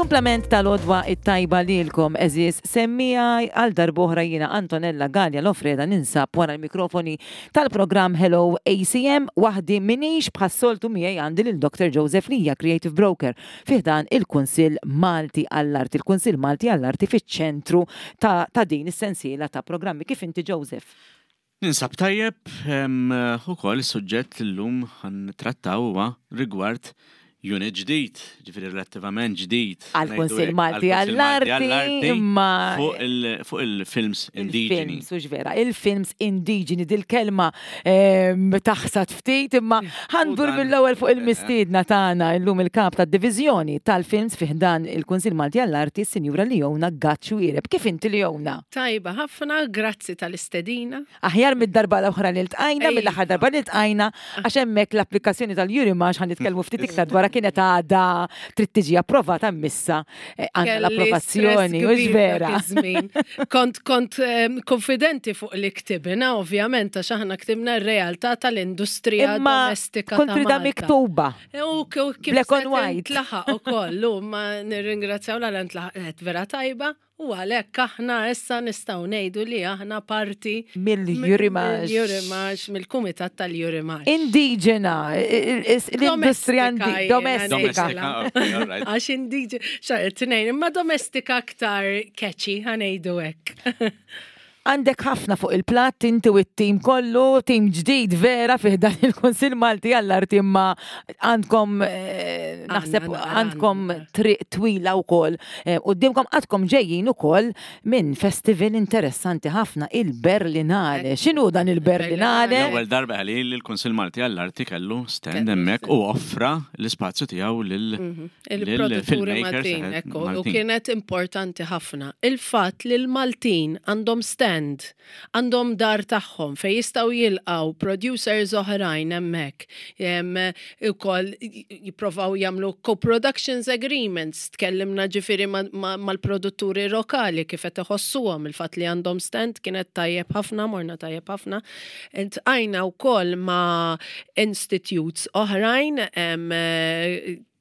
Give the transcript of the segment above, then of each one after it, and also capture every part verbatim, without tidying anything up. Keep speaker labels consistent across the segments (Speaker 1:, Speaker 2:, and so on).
Speaker 1: Il-kumplament tal-għodwa it-tajba lilkom, għeżież semmiegħa. Għal darb'oħra jiena Antonella Gallia Lofreda ninsab wara l-mikrofoni tal-programm Hello A C M. Waħdi m'iniex, bħas-soltu miegħi għandi lil Doctor Joseph Lija, Creative Broker, fi ħdan il-Kunsill Malti għall-Arti. Il-Kunsill Malti għall-Arti fiċ-ċentru ta', ta din is-sensiela ta' programmi. Kif inti, Joseph?
Speaker 2: Ninsab tajjeb, ukoll is-suġġett l-lum ħa nittrattaw huwa rigward unit ġdid, ġifieri relattivament ġdid.
Speaker 1: Għal-Kunsill Malti għall-Arti, imma
Speaker 2: fuq il-films indiġeni.
Speaker 1: Il-films, hux vera, il-films indiġeni, dil-kelma ehm, taħsad ftit, imma ħa ndur mill-ewwel fuq il-mistiedna tagħna illum, il-kap tad-diviżjoni tal-films fi ħdan il-Kunsill Malti għall-Arti, Sinjura Leona Gatt Xuereb. Kif inti, Leona?
Speaker 3: Tajba ħafna, grazzi tal-istedina.
Speaker 1: Aħjar mid-darba l-oħra li ltqajna, mill-aħħar darba li ltqajna, għax hemmhekk l-applikazzjoni tal-Eurimages, ħa nitkellmu ftit iktar dwar, kienet għadha trid tiġi approvata, missa eh, għandna l-approvazzjoni, hux vera?
Speaker 3: Kont kont konfidenti fuq li ktibna, ovvjament, għax aħna ktibna r-realtà tal-industrija domestika.
Speaker 1: Kont tridha miktuba.
Speaker 3: U kif
Speaker 1: Black on white.
Speaker 3: Tlaħaq ukoll, ma nirringrazzjaw l ntlaħaqet vera tajba. U għalhekk aħna issa nistgħu ngħidu li aħna parti
Speaker 1: mill-Eurimages.
Speaker 3: Mill-Eurimages, mill-Kumitat tal-Eurimages.
Speaker 1: Indiġena, l-industrija domestika.
Speaker 3: Għax indiġena, xar tnejn, imma domestika aktar catchy, ħa ngħidu hekk.
Speaker 1: Għandek ħafna fuq il-platt inti u t-tim kollu, tim ġdid vera fi ħdan il-Kunsill Malti għall-Arti, imma għandkom eh, naħseb għandkom triq twila wkoll. Eh, quddiemkom għadkom ġejjin ukoll minn festival interessanti ħafna, il-Berlinale. X'inhu dan il-Berlinale?
Speaker 2: L-ewwel darba li l-Kunsill Malti għall-Arti kellu stand hemmhekk u offra l-ispazju tiegħu lil
Speaker 3: mhm. il-produtturi Maltin, ekku, u kienet importanti ħafna. Il-fatt li l-Maltin għandhom stand, għandhom dar tagħhom fej jistgħu jilqgħu producers oħrajn hemmhekk. Ukoll jipprovaw jagħmlu co-productions agreements, tkellimna ġifieri mal-produtturi lokali kif qed iħossuhom il-fatt li għandhom stand kienet tajjeb ħafna, morna tajjeb ħafna. Iltqajna wkoll ma' institutes oħrajn,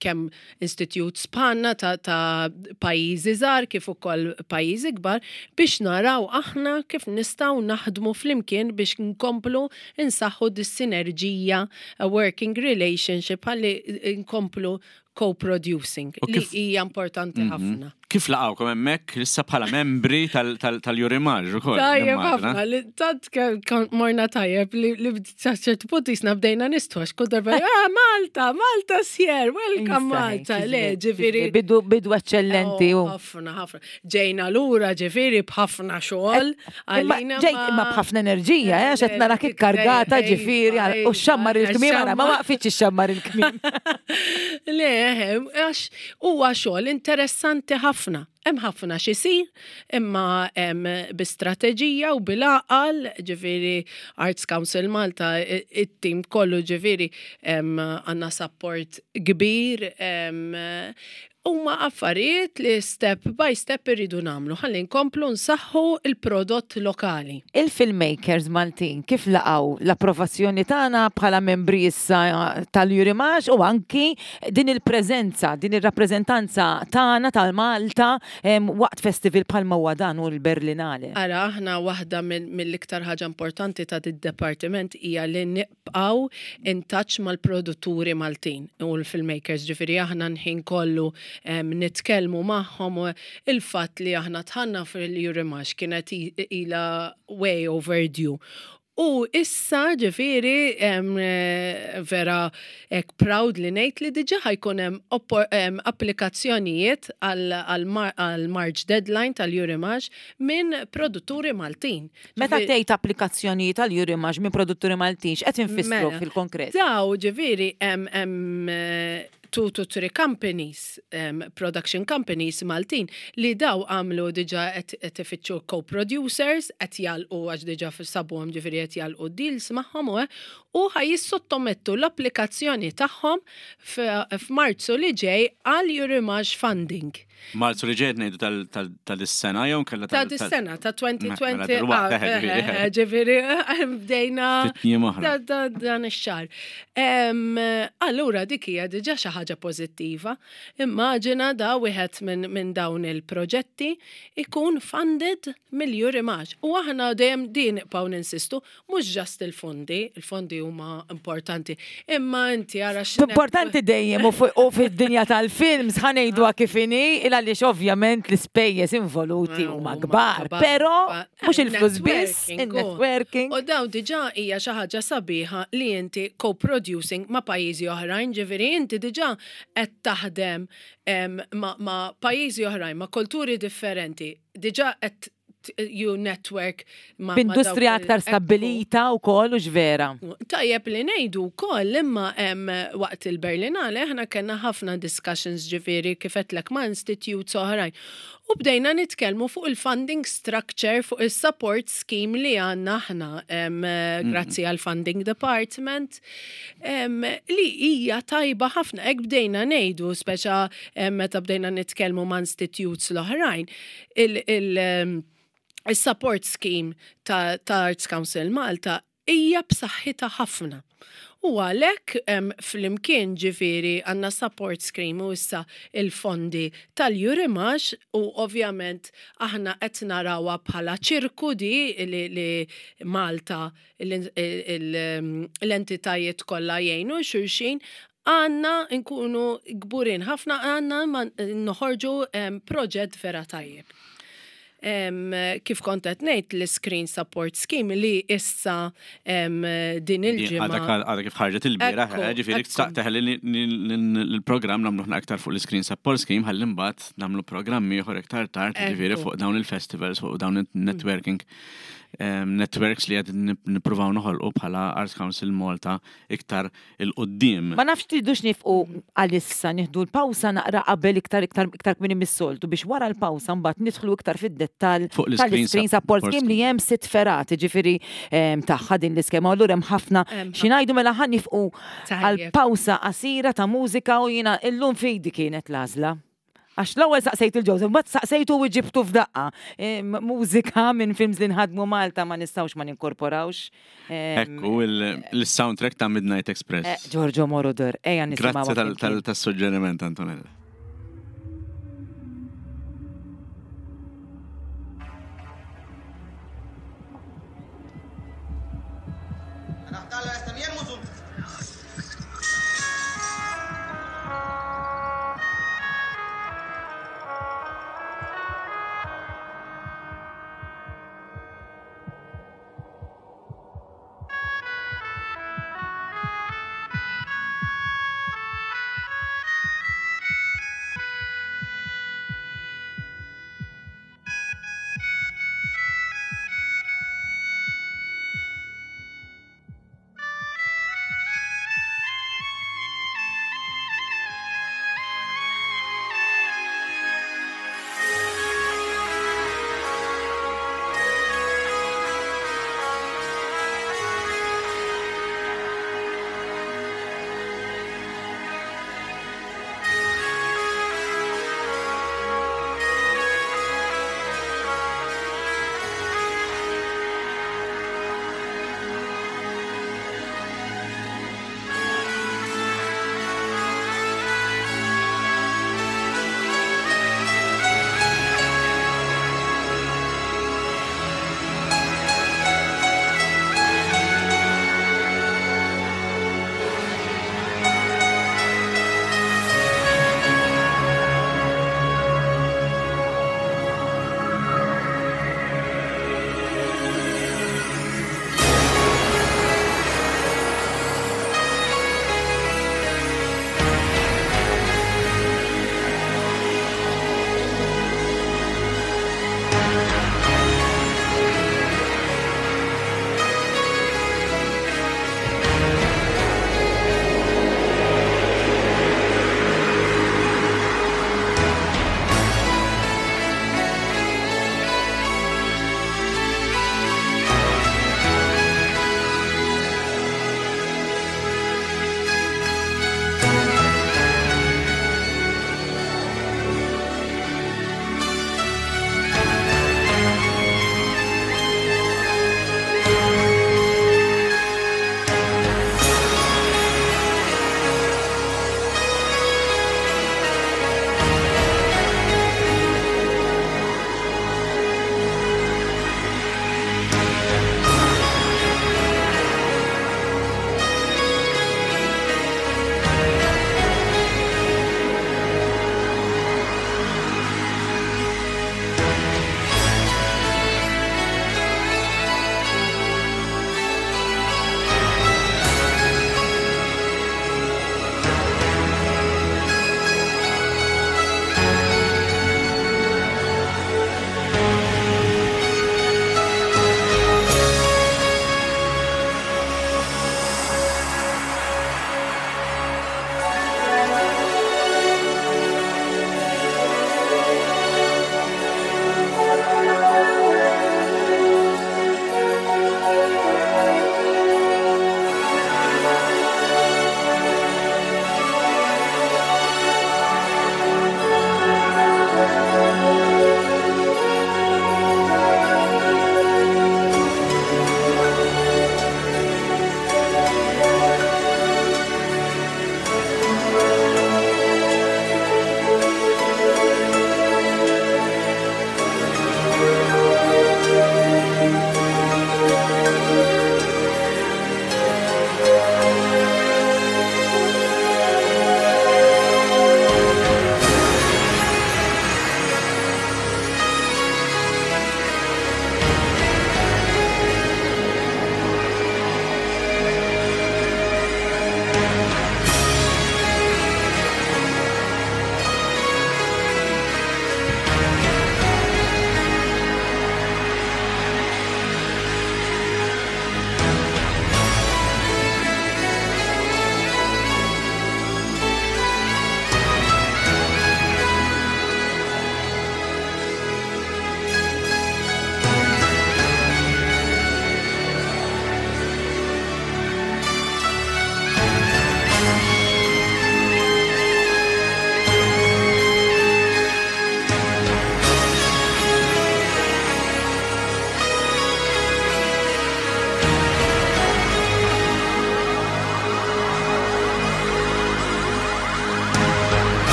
Speaker 3: kemm institutes bħalna ta', ta pajjiżi żgħar kif ukoll pajjiżi kbar, biex naraw aħna kif nistgħu naħdmu flimkien biex nkomplu insaħħu dis-sinerġija, a working relationship, ħalli nkomplu co-producing li hija importanti mhm. ħafna.
Speaker 2: Kif laqgħukom hemmhekk issa bħala membri tal-Eurimages ukoll?
Speaker 3: Tajjeb ħafna, li tant kont morna tajjeb li ċertu punt jisna bdejna nistħu għax kull darba, "Ah, Malta, Malta sjer, welcome Malta," le, ġifieri.
Speaker 1: Bidu bidu eccellenti.
Speaker 3: Oh, ħafna, ħafna. Ġejna lura ġifieri b'ħafna xogħol.
Speaker 1: Għalina Ġejt imma b'ħafna enerġija, eh, għax qed narak ikkargata ġifieri u xammar il-kmiem, ara, ma waqfitx ixxammar il-kmiem.
Speaker 3: Le, għax huwa xogħol interessanti ħafna. Hemm ħafna x'isir, imma hemm bi strateġija u bil-għaqal, ġifieri Arts Council Malta, it-tim kollu ġifieri għandna support kbir, huma affarijiet li step by step irridu nagħmlu ħalli nkomplu nsaħħu il-prodott lokali.
Speaker 1: Il-filmmakers Maltin kif laqgħu l-approvazzjoni tagħna bħala membri issa tal-Eurimages u anki din il-preżenza, din ir-rappreżentanza tagħna tal-Malta waqt festival bħalma huwa dan u l-Berlinale?
Speaker 3: Ara, aħna waħda mill-iktar ħaġa importanti ta' dit-departiment hija li nibqgħu in touch mal-produtturi Maltin u l-filmmakers, ġifieri aħna nħin kollu nitkellmu magħhom. Il-fatt li aħna dħalna fil-Eurimages kienet ila way overdue. U issa ġifieri vera ek proud li ngħid li diġà ħa jkun hemm applikazzjonijiet għal March deadline tal-Eurimages minn produtturi Maltin.
Speaker 1: Meta tgħid applikazzjonijiet għal Eurimages minn produtturi Maltin, x'qed infissru
Speaker 3: Mela,
Speaker 1: fil-konkret?
Speaker 3: Daw ġifieri hemm two to three companies, um, production companies Maltin, li daw għamlu diġà qed ifittxu co-producers, qed jagħlqu għax diġà sabuhom, ġifieri qed jagħlqu deals magħhom u u ħa jissottomettu l-applikazzjoni tagħhom f'Marzu li ġej għal Eurimages funding.
Speaker 2: Marzu li ġejt ngħidu tal-sena jew kellha
Speaker 3: ta' dis-sena ta' elfejn u għoxrin. Ġifieri bdejna dan ix-xahar. Allura dik hija diġà xi ħaġa pożittiva. Immaġina da wieħed minn dawn il-proġetti ikun funded mill-Eurimages. U aħna dejjem din nibqgħu ninsistu, mhux just il-fondi, il-fondi huma importanti, imma inti ara
Speaker 1: Importanti dejjem u fid-dinja tal-films ħa ngħiduha kif inhi, għaliex ovvjament l-ispejjeż involuti huma kbar, però mhux il-flus biss, il-networking.
Speaker 3: U daw diġà hija xi ħaġa sabiħa li inti co-producing ma' pajjiżi oħrajn, ġifieri inti diġà qed taħdem ma' pajjiżi oħrajn, ma' kulturi differenti, diġà qed you network
Speaker 1: ma' b'industrija aktar stabbilita u koll u vera.
Speaker 3: Tajjeb li ngħidu wkoll imma waqt il-Berlinale aħna kellna ħafna discussions ġifieri kif għedtlek ma' institutes oħrajn. U bdejna nitkellmu fuq il-funding structure, fuq il-support scheme li għandna aħna, grazzi għal funding department, li hija tajba ħafna. Hekk bdejna ngħidu, speċa meta bdejna nitkellmu ma' institutes l-oħrajn, il- il- il-support scheme ta', ta Arts Council Malta hija b'saħħitha ħafna. U għalhekk flimkien ġifieri għandna support scheme u issa il-fondi tal-Eurimages u ovvjament aħna qed narawha bħala ċirku di li, li Malta l-entitajiet kollha jgħinu xulxin, għandna nkunu kburin ħafna, għandna noħorġu proġett vera tajjeb. Kif kont qed ngħid l-Screen Support Scheme li issa din il-ġimgħa.
Speaker 2: Għadha kif ħarġet il-bieraħ, ġifieri teħli l-programm nagħmlu aktar fuq l-Screen Support Scheme ħalli mbagħad nagħmlu programmi ieħor iktar tard, ġifieri fuq dawn il-festivals, fuq dawn il-networking networks li qed nippruvaw noħolqu bħala Arts Council Malta iktar il-qoddim.
Speaker 1: Ma nafx tridux nifqu għalissa nieħdu l-pawsa naqra qabel iktar iktar iktar kmieni mis-soltu biex wara l-pawsa mbagħad nidħlu iktar fid-dettall tal-Screen Support Scheme li hemm sitt fergħat, ġifieri tagħha din l-iskema. Allura hemm ħafna xi ngħidu, mela ħa nifqu għal pawsa qasira ta' mużika u jiena illum fidi kienet l-għażla. Għax l-ewwel saqsejt il-Joseph, mbagħad saqsejtu u ġibtu f'daqqa. Mużika minn films li nħadmu Malta ma nistgħux ma ninkorporawx.
Speaker 2: Ekku, il-soundtrack ta' Midnight Express.
Speaker 1: Giorgio Moroder, ejja nisimgħu.
Speaker 2: Grazzi tas-suġġeriment, Antonella.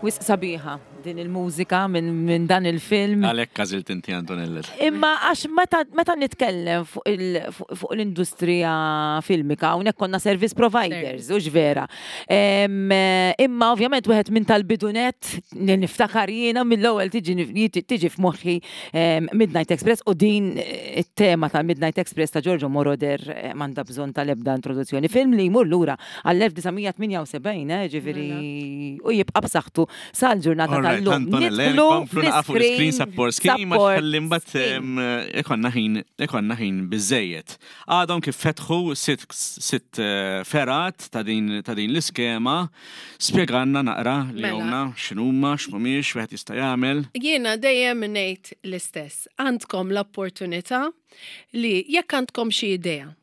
Speaker 1: Wisq sabiħa din il-mużika minn min dan il-film.
Speaker 2: Għalhekk għażilt inti, Antonella.
Speaker 1: Imma għax meta, meta nitkellem fuq il- fuq fuq l-industrija filmika, hawnhekk konna service providers, u vera. Em, eh, Imma ovvjament wieħed minn tal-bidunet li niftakar jiena mill-ewwel tiġi tiġi f'moħħi em, Midnight Express u din eh, it-tema tal-Midnight Express ta' Giorgio Moroder eh, m'għandha bżonn tal-ebda introduzzjoni. Film li jmur lura għall-elf disa' mija tmienja u sebgħin, eh, ġifieri, u jibqa' b'saħħtu sal-ġurnata
Speaker 2: Alright,
Speaker 1: tal-lum.
Speaker 2: Antonella,
Speaker 1: Nidħlu
Speaker 2: nkomplu naqa fuq l-screen support scheme, għax
Speaker 1: support
Speaker 2: ħalli mbagħad
Speaker 1: scheme.
Speaker 2: em, ikonna ħin ikonna ħin biżejjed. Għadhom kif fetħu sitt sitt eh, fergħat ta' din ta' din l-iskema, spjegalna naqra li
Speaker 3: Mela.
Speaker 2: għomna x'inhuma, x'mhumiex, wieħed jista' jagħmel.
Speaker 3: Jiena dejjem ngħid l-istess. Għandkom l-opportunità li jekk għandkom xi idea.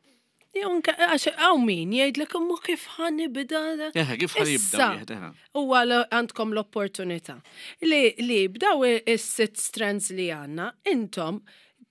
Speaker 3: Jew anke- għax hawn min jgħidlek, "Imma kif ħa nibda?"
Speaker 2: Eħe, kif ħa jibda
Speaker 3: Issa,
Speaker 2: wieħed, eħe.
Speaker 3: Huwa l- għandkom l-opportunità li li b'daw is-sitt strands li għandna, intom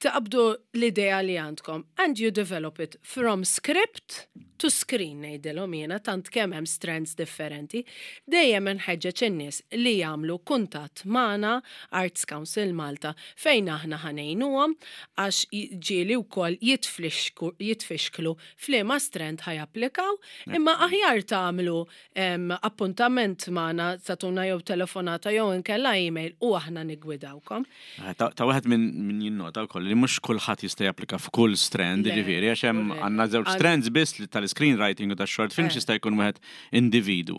Speaker 3: taqbdu l-idea li għandkom and you develop it from script to screen, ngħidilhom jiena, tant kemm hemm strands differenti. Dejjem nħeġġeġ in-nies li jagħmlu kuntatt magħna, Arts Council Malta, fejn aħna ħa ngħinuhom, għax ġieli wkoll jitflixku- jitfixklu f'liema strand ħa japplikaw, imma aħjar tagħmlu em, appuntament magħna, tagħtuna jew telefonata jew inkella email u aħna nigwidawkom.
Speaker 2: Eh, Ta' ta' wieħed minn min jinnota wkoll li mhux kulħadd jista' japplika f'kull strand,
Speaker 3: Le,
Speaker 2: jiġifieri, għax hemm
Speaker 3: le.
Speaker 2: għandna żewġ
Speaker 3: Għal-
Speaker 2: strands biss li tal-screenwriting u tax-short films
Speaker 3: Eh.
Speaker 2: jista' jkun wieħed individu.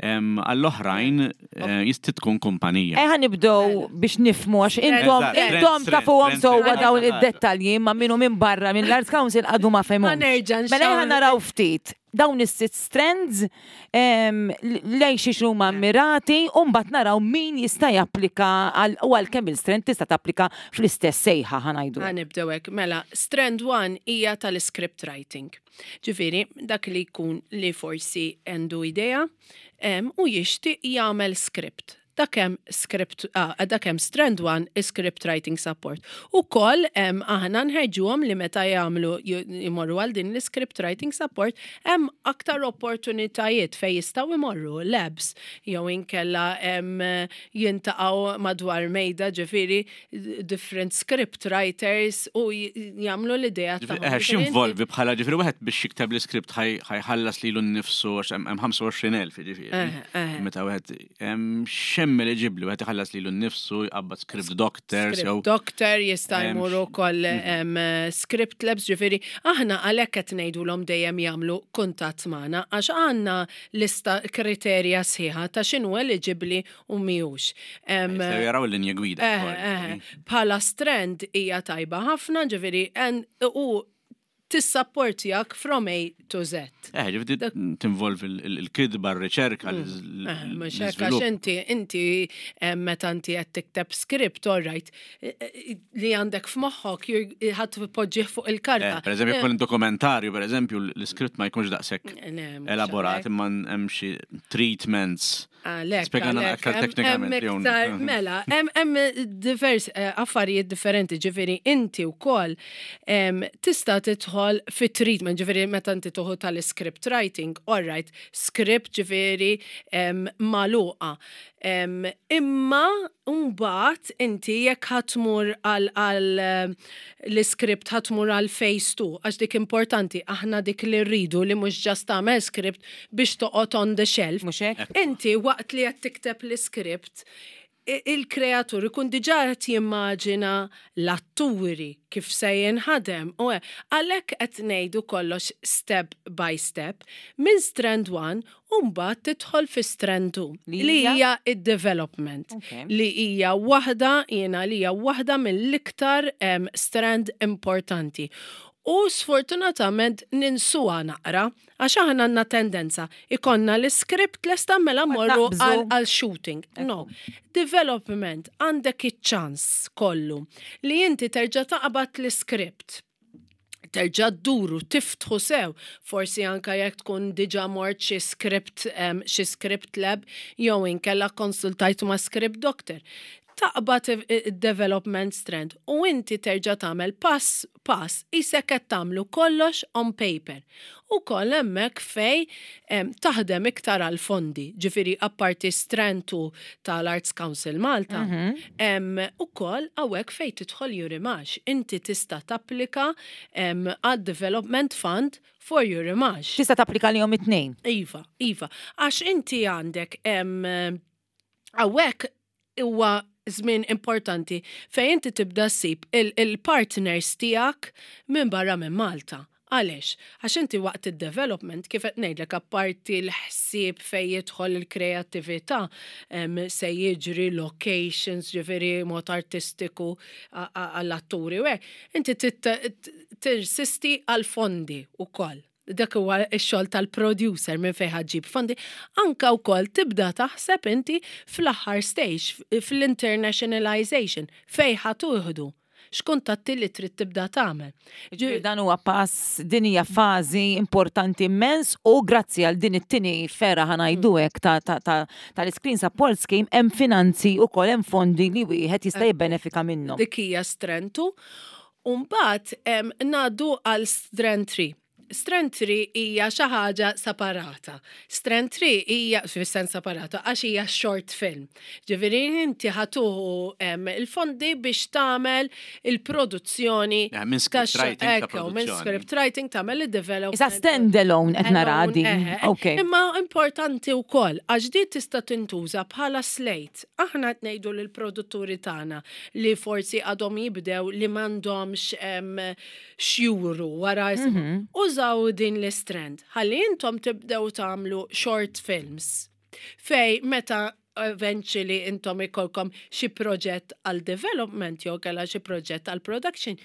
Speaker 2: Em, Għall-oħrajn eh, jista' tkun kumpanija.
Speaker 1: Ejja nibdew biex nifhmu, għax intom
Speaker 2: Eżatt,
Speaker 1: intom
Speaker 2: trend,
Speaker 1: tafuhom
Speaker 2: trend,
Speaker 1: sewwa
Speaker 2: trend.
Speaker 1: dawn id-dettalji, imma minnu minn barra minn l-Arts Council għadu ma fehmux.
Speaker 3: Ħa nerġa'
Speaker 1: Mela ejja
Speaker 3: nxawr-
Speaker 1: naraw ftit dawn is-sitt strands em, lejn xiex huma mirati u mbagħad naraw min jista' japplika għal u għal kemm il-strand tista' tapplika fl-istess sejħa, ħa ngħidu.
Speaker 3: Ħa nibdew hekk. Mela, strand one hija tal-script writing. Ġifieri, dak li jkun li forsi għandu idea em, u jixtieq jagħmel script. Dak hemm script, ah, dak hemm strand one, script writing support. Ukoll em, aħna nħeġġuhom li meta jagħmlu jmorru għal din l-script writing support, hemm aktar opportunitajiet fejn jistgħu jmorru labs jew inkella em, jiltaqgħu madwar mejda, ġifieri different script writers, u j- jagħmlu l-idea
Speaker 2: Ġifieri,
Speaker 3: tagħhom.
Speaker 2: eh,
Speaker 3: Ġifieri
Speaker 2: x'involvi bħala, ġifieri, wieħed biex jikteb l-iskript ħa jħallas lilu nnifsu, għax hemm hemm ħamsa u għoxrin elf, ġifieri.
Speaker 3: Eh, eh.
Speaker 2: Meta wieħed hemm x'hemm eliġibbli, wieħed iħallas lilu nnifsu, jqabbad script doctors jew
Speaker 3: Script doctor jista'
Speaker 2: Em,
Speaker 3: jmur ukoll em, script labs, ġifieri aħna għalhekk qed ngħidulhom dejjem jagħmlu kuntatt magħna, għax għandna lista kriterja sħiħa ta' x'inhu eliġibbli u mhijiex. Em,
Speaker 2: Jistgħu jaraw il-linja gwida
Speaker 3: Eh,
Speaker 2: wkoll,
Speaker 3: eh,
Speaker 2: ġifieri.
Speaker 3: Bħala strand hija tajba ħafna, ġifieri, en- u tissapportjak from A to Z.
Speaker 2: Eh, ġifieri tinvolvi il- il- il-kidba, r-riċerka,
Speaker 3: Eh, Mhux hekk, għax
Speaker 2: l-iżvilupp.
Speaker 3: inti inti eh, meta inti qed tikteb script, all right, eh, eh, li għandek f'moħħok you're- ħadd tpoġġih fuq il-karta.
Speaker 2: Eh, Per eżempju, jkun dokumentarju, per eżempju, l-iskript ma jkunx daqshekk
Speaker 3: Le, mhux
Speaker 2: elaborat,
Speaker 3: għalhekk.
Speaker 2: imma hemm xi treatments.
Speaker 3: Għalhekk,
Speaker 2: Spjegana
Speaker 3: għalhekk,
Speaker 2: aktar
Speaker 3: hemm-
Speaker 2: teknikament,
Speaker 3: hemm
Speaker 2: jew-
Speaker 3: iktar- Mela, hemm hemm divers eh, affarijiet differenti, ġifieri inti wkoll em, tista' tidħol fi treatment, ġifieri meta inti tuħu tal-script writing, all right, script ġifieri em, magħluqa. Em, Imma mbagħad inti jekk ħa tmur għal għal em, l-script ħa tmur għal phase two, għax dik importanti, aħna dik li rridu, li mhux just tagħmel script biex toqgħod on the shelf.
Speaker 1: Mhux hekk?
Speaker 3: Inti waqt li qed tikteb l-iskript, i- il-kreatur ikun diġà qed jimmaġina l-atturi, kif se jinħadem. U hekk, għalhekk qed ngħidu kollox step by step minn strand one u mbagħad tidħol fi strand two
Speaker 1: Li
Speaker 3: li
Speaker 1: hija?
Speaker 3: hija id-development,
Speaker 1: Ok.
Speaker 3: li hija waħda, jiena li hija waħda mill-iktar em, strand importanti. U sfortunatament ninsuha naqra, għax aħna għandna tendenza ikollna l-script lesta, mela morru
Speaker 1: naqbżu.
Speaker 3: għal għal shooting. No. Development għandek iċ-ċans kollu li inti terġa' taqbad l-script, terġa' dduru, tiftħu sew, forsi anka jekk tkun diġà mort xi script um, xi script lab jew inkella konsultajtu ma' script doctor. Taqbad development strand u inti terġa' tagħmel pass pass isek qed tagħmlu kollox on paper. U koll hemmhekk fej em, taħdem iktar għal fondi, ġifieri apparti strand two tal-Arts Council Malta, em, ukoll hawnhekk fej tidħol Eurimages. Inti tista' tapplika em, għad Development Fund for Eurimages.
Speaker 1: Tista' tapplika lihom it-tnejn.
Speaker 3: Iva, iva. Għax inti għandek em, hawnhekk huwa żmien importanti fejn inti tibda ssib il-partners tiegħek minn barra minn Malta. Għaliex? Għax inti waqt il-development, kif qed ngħidlek apparti l-ħsieb fejn jidħol il-kreattività, em, se jiġri locations, ġifieri mod artistiku a- a- għall-atturi u hekk, inti tit- tirsisti għal-fondi ukoll. Dak huwa x-xogħol tal-producer minn fejn ħa ġġib fondi. Anka wkoll tibda taħseb inti fl-aħħar stage, fl-internationalization, fejn ħa tuħdu. X'kuntatti li trid tibda tagħmel.
Speaker 1: Ġifieri dan huwa pass, din hija fażi importanti immens u grazzi għal din it-tieni fergħa ħa ngħidu hekk ta' ta' ta' tal-Screen Support Scheme hemm finanzi ukoll hemm fondi li wieħed jista' jibbenefika minnhom.
Speaker 3: Dik hija strand two. U mbagħad em, ngħaddu għal strand three. Strand three hija xi ħaġa separata. Strand three hija fis-sens separata għax hija short film. Ġifieri inti ħa tieħu em, il-fondi biex tagħmel il-produzzjoni
Speaker 2: Ja, minn script
Speaker 3: ta'
Speaker 2: writing ta'
Speaker 3: ekku, minn
Speaker 2: produzzjoni.
Speaker 3: script writing tagħmel il-development.
Speaker 1: Issa stand alone qed nara
Speaker 3: Alone,
Speaker 1: din.
Speaker 3: eħe.
Speaker 1: Ok.
Speaker 3: Imma importanti wkoll għax di tista' tintuża bħala slate. Aħna qed ngħidu lill-produtturi tagħna li forsi għadhom jibdew li m'għandhomx em, x'juru wara mm Użaw din l-strand. Ħalli intom tibdew tagħmlu short films. Fej meta eventually intom ikolkom xi proġett għal development jew kellha xi proġett għal production.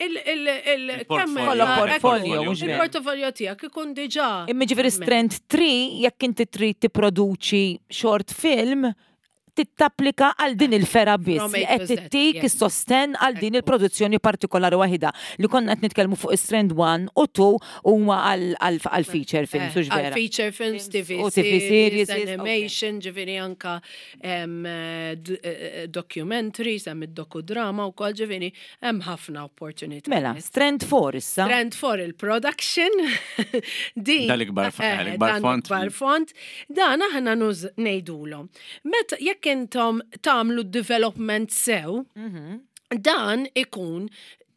Speaker 3: Il, il, il, kemm-
Speaker 2: Il-portfolio.
Speaker 1: Kollok portfolio, mhux vera.
Speaker 3: Il-portfolio tiegħek ikun diġà.
Speaker 1: Imma ġifieri strand three jekk inti trid tipproduċi short film tittapplika għal din il-fergħa biss
Speaker 3: From
Speaker 1: li
Speaker 3: A
Speaker 1: qed
Speaker 3: to Z,
Speaker 1: tittik
Speaker 3: yes.
Speaker 1: is-sosten għal din il-produzzjoni partikolari waħida li konna qed nitkellmu fuq strand one u two huma għal għal feature films, hux
Speaker 3: Għal
Speaker 1: vera.
Speaker 3: feature films, T V
Speaker 1: U T V
Speaker 3: series,
Speaker 1: series, okay.
Speaker 3: animation, ġifieri anka em, eh, d- eh, documentaries, hemm id-dokudrama u kol ġifieri hemm ħafna opportunity.
Speaker 1: Mela, strand four issa.
Speaker 3: Strand four il-production. Din.
Speaker 2: Dal-ikbar f-
Speaker 3: eh,
Speaker 2: l-ikbar
Speaker 3: dan
Speaker 2: font.
Speaker 3: l-ikbar font. Dan aħna nuż ngħidulhom. Meta jekk intom tagħmlu development sew,
Speaker 1: Mhm.
Speaker 3: dan ikun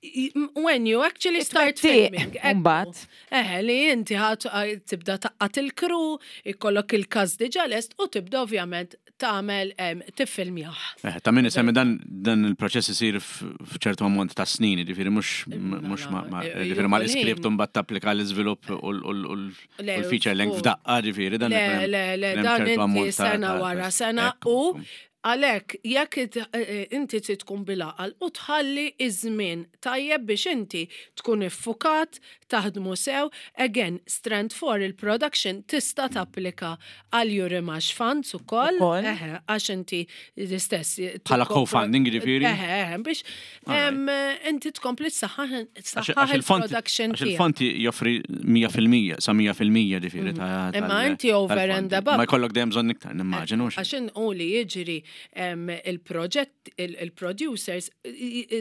Speaker 3: i- when you actually start
Speaker 1: It-twettiq,
Speaker 3: filming. Ekku.
Speaker 1: mbagħad.
Speaker 3: Eħe, li inti ħat tibda taqqat il-crew, ikollok il-cast diġà lest u tibda ovvjament tagħmel em, tiffilmjah.
Speaker 2: Eh, Ta' min isemmi dan dan il-proċess isir f- f'ċertu ammont ta' snin, ġifieri mhux mhux ma ma-
Speaker 3: eh,
Speaker 2: ġifieri ma l-iskript
Speaker 3: ħin.
Speaker 2: mbagħad tapplika l-iżvilupp u l- u l- u l- u
Speaker 3: Le,
Speaker 2: l-feature length
Speaker 3: u-
Speaker 2: f'daqqa, ġifieri dan
Speaker 3: Le,
Speaker 2: ikun hemm-
Speaker 3: le, le,
Speaker 2: hemm
Speaker 3: dan
Speaker 2: ċertu
Speaker 3: inti
Speaker 2: ammont ta'
Speaker 3: sena
Speaker 2: ta'
Speaker 3: wara
Speaker 2: ta'
Speaker 3: sena
Speaker 2: ekku,
Speaker 3: u
Speaker 2: ekku.
Speaker 3: għalek, jekk it- eh, inti trid tkun bil-għaqal u tħalli iż-żmien tajjeb biex inti tkun iffukat, taħdmu sew, again, strand four il-production tista' tapplika għal Eurimages Funds ukoll,
Speaker 1: Ukoll.
Speaker 3: eħe, għax inti l-istess.
Speaker 2: Bħala co-funding, ġifieri?
Speaker 3: Eħe, eħe, biex em, inti tkompli s-saħħa
Speaker 2: Għax għax il-fond
Speaker 3: il-production
Speaker 2: għax
Speaker 3: tiegħek.
Speaker 2: il-fond joffri mija fil-mija sa mija fil-mija ġifieri ta'
Speaker 3: Imma
Speaker 2: tal-
Speaker 3: inti over
Speaker 2: tal-fondi.
Speaker 3: and above.
Speaker 2: Ma jkollok dejjem bżonn iktar, nimmaġinu.
Speaker 3: Għax u li jiġri em, il-proġett, il-producers,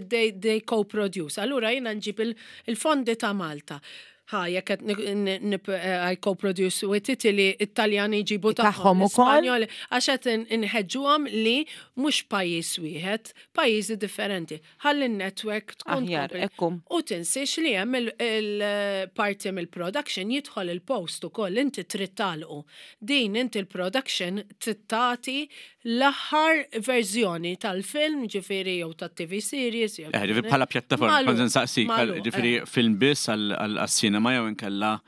Speaker 3: they, they co-produce. Allura jiena nġib il- il-fondi ta' Malta. Ha, jekk qed ni- ni- eh, I co-produce with Italy, Italjani jġibu
Speaker 1: Tagħhom
Speaker 3: tagħhom,
Speaker 1: ukoll?
Speaker 3: l-Ispanjoli, għax qed in- inħeġġuhom li mhux pajjiż wieħed, pajjiżi differenti. Ħalli n-network tkun
Speaker 1: Aħjar,
Speaker 3: tkompli.
Speaker 1: ekku.
Speaker 3: U tinsiex li hemm il-parti mill-production jidħol il-post ukoll inti trid tagħlqu. Din inti il-production trid tagħti l-aħħar verżjoni tal-film, ġifieri jew tat-T V series. Jew
Speaker 2: Eh, ġifieri bħala pjattaforma,
Speaker 3: Magħluq,
Speaker 2: kont nsaqsik,
Speaker 3: magħluq,
Speaker 2: ġifieri
Speaker 3: eh.
Speaker 2: film biss għal-cinema jew inkella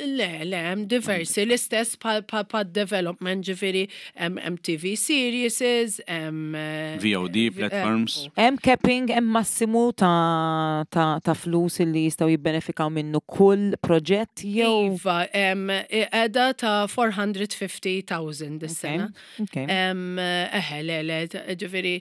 Speaker 3: Le, le, hemm diversi, l-istess pa, pa, pa development, ġifieri hemm hemm T V series, hemm eh,
Speaker 2: V O D
Speaker 3: eh,
Speaker 2: platforms.
Speaker 1: Hemm capping, hemm massimu ta' ta' ta' flus li jistgħu jibbenefikaw minnu kull proġett jew.
Speaker 3: Iva, em, qiegħda ta' erba' mija u ħamsin elf dis-sena.
Speaker 1: Okay.
Speaker 3: Em, Eħe, le, le, ġifieri,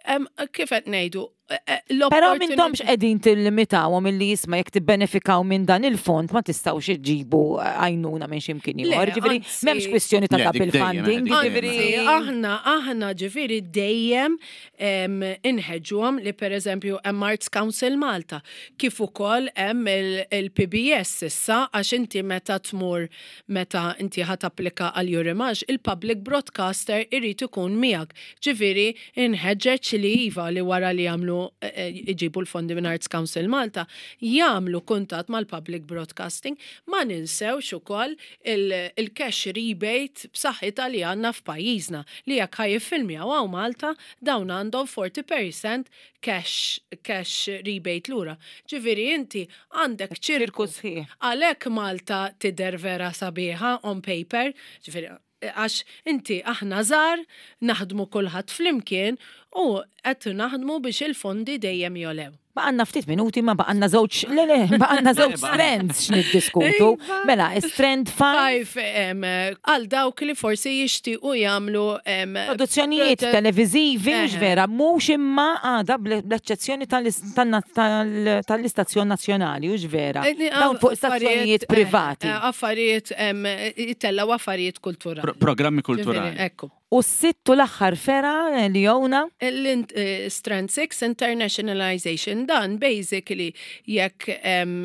Speaker 3: Em, Kif qed ngħidu, eh, eh,
Speaker 1: Però
Speaker 3: l-opportunity-
Speaker 1: m'intomx qegħdin tillimitawhom illi jisma' jekk tibbenefikaw minn dan il-fond ma tistgħux iġġibu għajnuna minn x'imkien
Speaker 3: Le,
Speaker 1: ieħor. Ġifieri
Speaker 3: anzi-
Speaker 1: m'hemmx kwistjoni ta'
Speaker 2: Le, dik
Speaker 1: double
Speaker 2: dejjem,
Speaker 1: funding,
Speaker 2: dik dejjem.
Speaker 1: ġifieri
Speaker 3: Anzi, aħna, aħna ġifieri dejjem em, inħeġġuhom li per eżempju hemm Arts Council Malta, kif ukoll hemm il- il-P B S issa, għax inti meta tmur, meta inti ħa tapplika għal Eurimages, il-public broadcaster irid ikun miegħek. Ġifieri inħeġġeġ li iva, li wara li jagħmlu eh, eh, iġibu l-fondi minn Arts Council Malta, jagħmlu kuntatt mal-public broadcasting. Ma ninsewx ukoll il- il-cash rebate b'saħħitha li għandna f'pajjiżna, li jekk ħa jiffilmjaw hawn Malta, dawn għandhom erbgħin fil-mija cash, cash rebate lura. Ġifieri inti għandek
Speaker 1: ċirku
Speaker 3: ċirku
Speaker 1: sħiħ.
Speaker 3: Għalhekk Malta tidher vera sabiħa on paper, ġifieri għax inti aħna żgħar, naħdmu kulħadd flimkien u qed naħdmu biex il-fondi dejjem jogħlew.
Speaker 1: Baqgħalna ftit minuti, ma baqgħalna żewġ, le le, baqgħalna żewġ strands x'niddiskutu.
Speaker 3: Iva.
Speaker 1: Mela, strand five,
Speaker 3: Five, em, għal dawk li forsi jixtiequ jagħmlu em,
Speaker 1: produzzjonijiet
Speaker 3: prote-
Speaker 1: televizivi, mhux
Speaker 3: Eħe.
Speaker 1: vera, mhux imma għada bl-eċċezzjoni tal-is- tan- tal- tal-istazzjon nazzjonali, mhux vera.
Speaker 3: Eh,
Speaker 1: Dawn fuq stazzjonijiet
Speaker 3: affarijiet,
Speaker 1: privati.
Speaker 3: eh, Affarijiet, em, jitellaw affarijiet kulturali.
Speaker 2: Pro- Programmi
Speaker 3: Ġifieri,
Speaker 2: kulturali.
Speaker 3: Ekku.
Speaker 1: U s-sitt u l-aħħar fergħa li jowna,
Speaker 3: L-Strand six Internationalization, dan basically jekk em,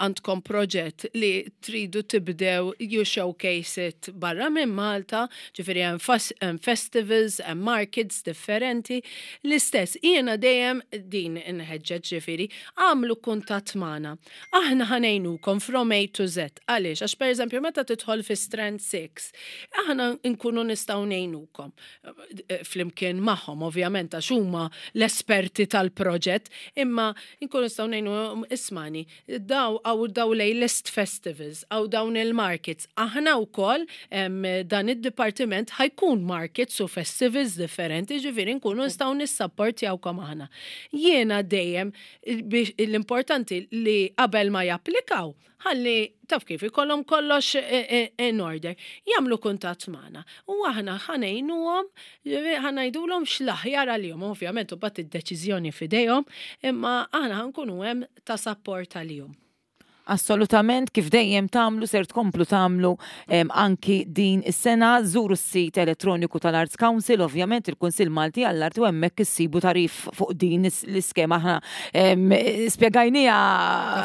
Speaker 3: għandkom proġett li tridu tibdew you showcase it barra minn Malta, ġifieri hemm fas- hemm festivals, hemm markets differenti. L-istess, jiena dejjem din inħeġġeġ, ġifieri, għamlu kuntatt magħna. Aħna ħa ngħinukom from A to Z. Għaliex? Għax per eżempju meta tidħol fi Strand six, aħna nkunu nistgħu ngħinukom eh, flimkien magħhom, ovvjament, għax huma l-esperti tal-proġett, imma nkunu nistgħu ngħinu, ismani, daw għaw daw lej list festivals, għaw dawn il-markets. Aħna wkoll em, dan id-dipartiment ħa jkun markets u festivals differenti, ġifieri nkunu nistgħu nissapportjawkom aħna. Jiena dejjem biex l-importanti li qabel ma japplikaw, ħalli taf kif ikollhom kollox eh, eh, in order, jagħmlu kuntatt magħna. U aħna ħa ngħinuhom, ħa ngħidulhom x'l-aħjar għalihom, ovvjament u bat id-deċiżjoni f'idejhom, imma aħna ħa nkunu hemm ta' support għalihom.
Speaker 1: Assolutament, kif dejjem tagħmlu, ser tkomplu tagħmlu em, anki din is-sena. Żuru s-sit elettroniku tal-Arts Council, ovvjament il-Kunsill Malti għall-Arti, u hemmhekk issibu tagħrif fuq din is- l-iskema. Aħna em, spjegajniha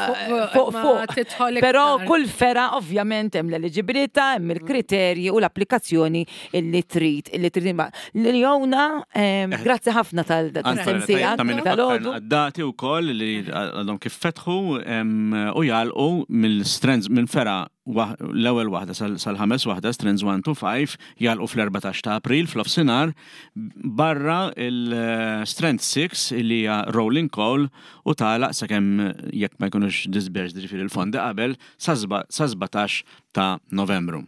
Speaker 3: Fuq-
Speaker 1: fuq
Speaker 3: ma
Speaker 1: fuq.
Speaker 3: tidħol
Speaker 1: Però
Speaker 3: iktar.
Speaker 1: kull fergħa ovvjament hemm l-eliġibilità, hemm il-kriterji u l-applikazzjoni illi trid illi trid. Leona, em, grazzi ħafna tal-sensija
Speaker 2: Ta' min
Speaker 1: tal-għodu.
Speaker 2: Dati u koll li għadhom kif fetħu em, u jagħlqu mill-strands minn fergħa waħ- l-ewwel waħda sal- sal-ħames waħda, strands one to five, jagħlqu fl-erbatax ta' April fl-offsinar, barra il-strand six li hija Rolling Call u tagħlaq sakemm jekk ma jkunux disbursed, ġifieri il-fondi qabel, sa sbatax ta' Novembru.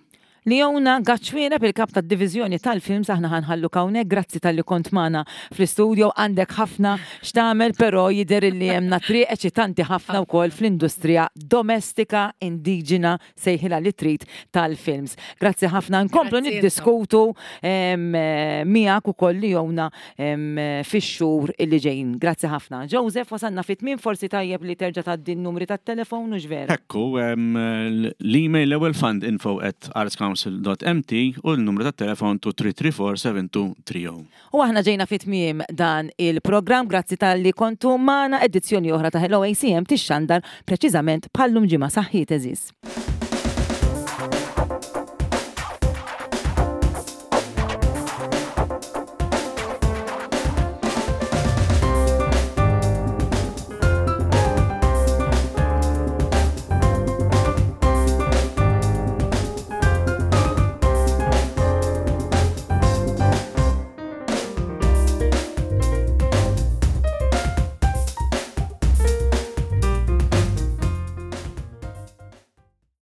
Speaker 1: Leona Gaċwiera, il-kap tad-divizjoni tal-films, aħna ħa nħallu hawnhekk, grazzi talli kont magħna fl-istudio, għandek ħafna x'tagħmel, però jidher li hemm triq eċitanti ħafna wkoll fl-industrija domestika, indiġena, sejħilha li trid, tal-films. Grazzi ħafna, nkomplu
Speaker 3: Grazzi.
Speaker 1: niddiskutu em, eh, miegħek ukoll, Leona, em, fix-xhur illi ġejjin. Grazzi ħafna. Joseph, wasanna fit-tmien, forsi tajjeb li terġa' tgħaddi n-numri tat-telefon, u vera.
Speaker 2: Ekku, em, l-email l-ewwel fund info at artscouncil dot M T u l-numru tat-telefon two three three four seven two three zero.
Speaker 1: U aħna ġejna fit-tmiem dan il-programm, grazzi talli kontu magħna. Edizzjoni oħra ta' Hello A C M tixxandar preċiżament bħallum ġimgħa. Saħħiet, għeżież.